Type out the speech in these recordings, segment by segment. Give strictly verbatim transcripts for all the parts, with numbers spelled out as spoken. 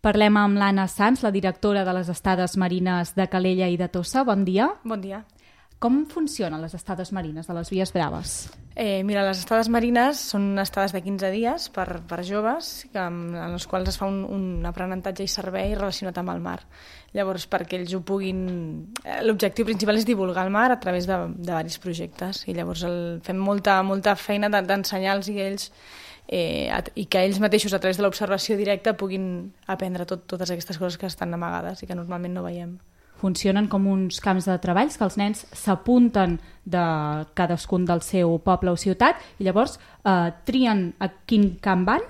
Parlem amb l'Anna Sans, la directora de les estades marines de Calella i de Tossa. Bon dia. Bon dia. Com funcionen les estades marines de les Vies Braves? Eh, mira, les estades marines són estades de quinze dies per, per joves, que, en les quals es fa un, un aprenentatge i servei relacionat amb el mar. Llavors, perquè ells ho puguin... L'objectiu principal és divulgar el mar a través de, de diversos projectes, i llavors el, fem molta, molta feina d'ensenyar-los i ells eh, i que ells mateixos, a través de l'observació directa, puguin aprendre tot, totes aquestes coses que estan amagades i que normalment no veiem. Funcionen com uns camps de treballs que els nens s'apunten de cadascun del seu poble o ciutat i llavors eh, trien a quin camp van?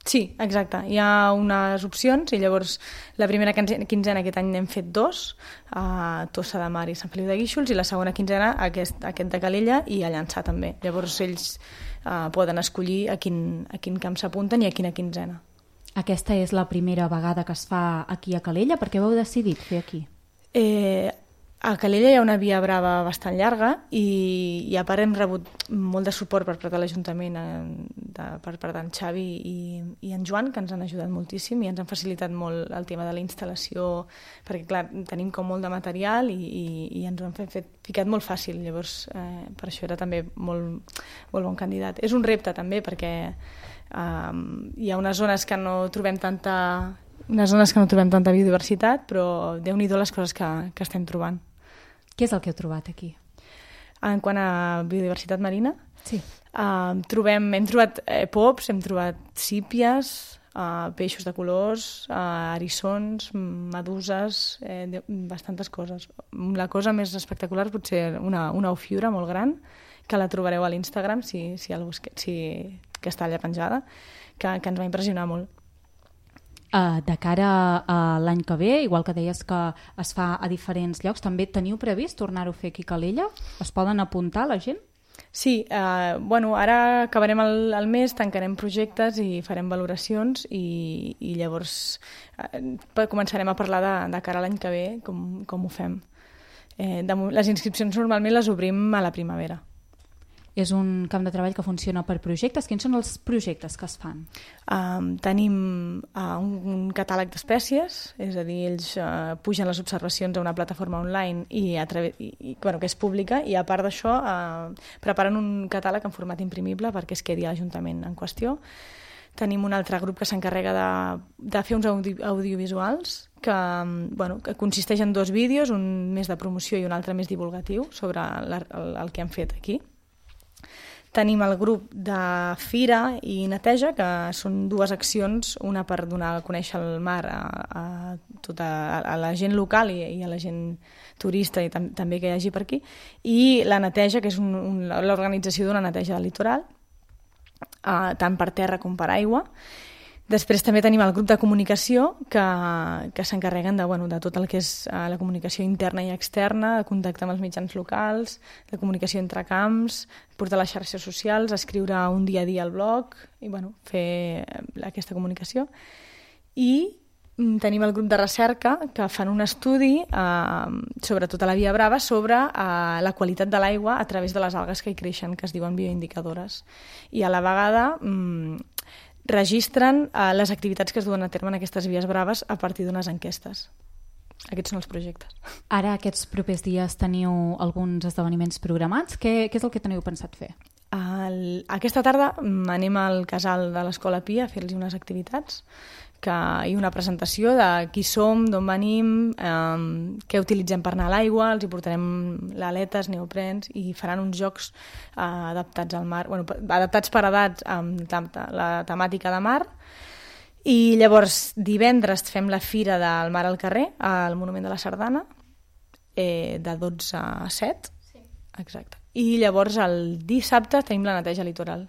Sí, exacte. Hi ha unes opcions i llavors la primera quinzena aquest any n'hem fet dos, a Tossa de Mar i Sant Feliu de Guíxols, i la segona quinzena aquest, aquest de Calella i a Llançà també. Llavors ells eh, poden escollir a quin, a quin camp s'apunten i a quina quinzena. Aquesta és la primera vegada que es fa aquí a Calella. Per què ho heu decidit fer aquí? Eh, a Calella hi ha una via brava bastant llarga i, i a part hem rebut molt de suport per part de l'Ajuntament, de, per part d'en Xavi i, i en Joan, que ens han ajudat moltíssim i ens han facilitat molt el tema de la instal·lació, perquè clar, tenim com molt de material i, i, i ens ho han fet, fet, ficat molt fàcil, llavors eh, per això era també molt, molt bon candidat. És un repte també perquè eh, hi ha unes zones que no trobem tanta... unes zones que no trobem tanta biodiversitat, però Déu-n'hi-do les coses que, que estem trobant. Què és el que heu trobat aquí? En quant a biodiversitat marina, sí. uh, trobem, hem trobat eh, pops, hem trobat sípies, uh, peixos de colors, uh, erissons, meduses, eh, de, bastantes coses. La cosa més espectacular potser una, una ofiura molt gran, que la trobareu a l'Instagram, si, si el busque, si, que està allà penjada, que, que ens va impressionar molt. Uh, de cara a l'any que ve, igual que deies que es fa a diferents llocs, també teniu previst tornar-ho a fer aquí a Calella? Es poden apuntar la gent? Sí, eh, bueno, ara acabarem el, el mes, tancarem projectes i farem valoracions i, i llavors eh, començarem a parlar de, de cara a l'any que ve com, com ho fem. Eh, de, les inscripcions normalment les obrim a la primavera. És un camp de treball que funciona per projectes. Quins són els projectes que es fan? Um, tenim uh, un, un catàleg d'espècies, és a dir, ells uh, pugen les observacions a una plataforma online i a través, i, i, bueno, que és pública, i a part d'això uh, preparen un catàleg en format imprimible perquè es quedi a l'Ajuntament en qüestió. Tenim un altre grup que s'encarrega de, de fer uns audi audiovisuals que, bueno, que consisteix en dos vídeos, un més de promoció i un altre més divulgatiu sobre la, el, el que hem fet aquí. Tenim el grup de Fira i Neteja, que són dues accions, una per donar a conèixer el mar a, a, tota, a la gent local i, i a la gent turista i tam també que hi hagi per aquí, i la Neteja, que és un, un, l'organització d'una neteja del litoral, uh, tant per terra com per aigua. Després també tenim el grup de comunicació que, que s'encarreguen de, bueno, de tot el que és uh, la comunicació interna i externa, de contacte amb els mitjans locals, de comunicació entre camps, portar les xarxes socials, escriure un dia a dia al blog i bueno, fer aquesta comunicació. I mm, tenim el grup de recerca que fan un estudi, uh, sobretot a la Via Brava, sobre uh, la qualitat de l'aigua a través de les algues que hi creixen, que es diuen bioindicadores. I a la vegada mm, registren uh, les activitats que es duen a terme en aquestes Vies Braves a partir d'unes enquestes. Aquests són els projectes. Ara, aquests propers dies, teniu alguns esdeveniments programats. Què, què és el que teniu pensat fer? El, aquesta tarda anem al casal de l'Escola Pia a fer-los unes activitats que, i una presentació de qui som, d'on venim, eh, què utilitzem per anar a l'aigua, els hi portarem l'aletes, neoprens, i faran uns jocs eh, adaptats al mar, bueno, adaptats per edats amb la temàtica de mar. I llavors divendres fem la fira del mar al carrer al Monument de la Sardana, eh, de dotze a set. Sí. Exacte. I llavors el dissabte tenim la neteja litoral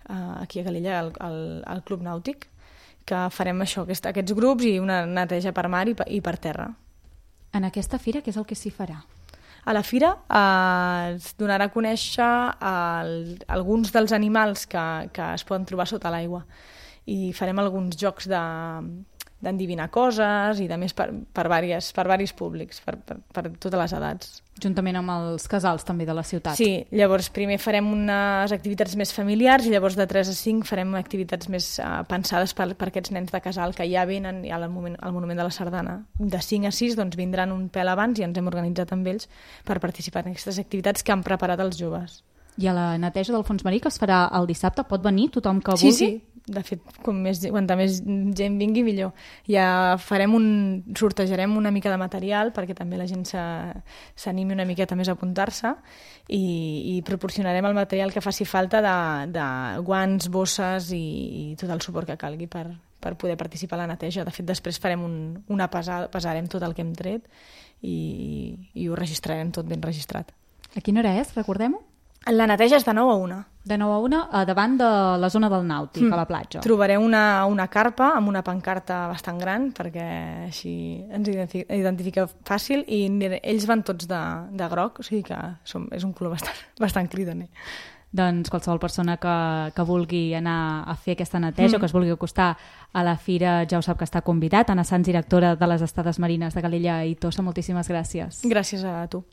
eh, aquí a Calella, al, al, al Club Nàutic, que farem això, aquest, aquests grups i una neteja per mar i per, i per terra. En aquesta fira què és el que s'hi farà? A la fira eh, es donarà a conèixer el, alguns dels animals que, que es poden trobar sota l'aigua i farem alguns jocs de, d'endivinar coses i de més per, per, vàries, per varis públics, per, per, per totes les edats. Juntament amb els casals també de la ciutat. Sí, llavors primer farem unes activitats més familiars i llavors de tres a cinc farem activitats més uh, pensades per, per aquests nens de casal que ja venen al moment, al Monument de la Sardana. De cinc a sis doncs, vindran un pèl abans i ens hem organitzat amb ells per participar en aquestes activitats que han preparat els joves. I a la neteja del fons marí, que es farà el dissabte, pot venir tothom que sí, vulgui? Sí, sí. De fet, com més, quanta més gent vingui, millor. Ja farem un, sortejarem una mica de material perquè també la gent s'animi una miqueta més a apuntar-se i, i proporcionarem el material que faci falta de, de guants, bosses i, i tot el suport que calgui per, per poder participar a la neteja. De fet, després farem un, una pesada, pesarem tot el que hem tret i, i ho registrarem tot ben registrat. A quina hora és? Recordem-ho? La neteja és de nou a una. De nou a una, davant de la zona del nàutic, mm. a la platja. Trobareu una, una carpa amb una pancarta bastant gran, perquè així ens identifica fàcil, i ells van tots de, de groc, o sigui que som, és un color bastant, bastant cridaner. Doncs qualsevol persona que, que vulgui anar a fer aquesta neteja mm. o que es vulgui acostar a la fira ja ho sap que està convidat. Anna Sans, directora de les Estades Marines de Calella i Tossa, moltíssimes gràcies. Gràcies a tu.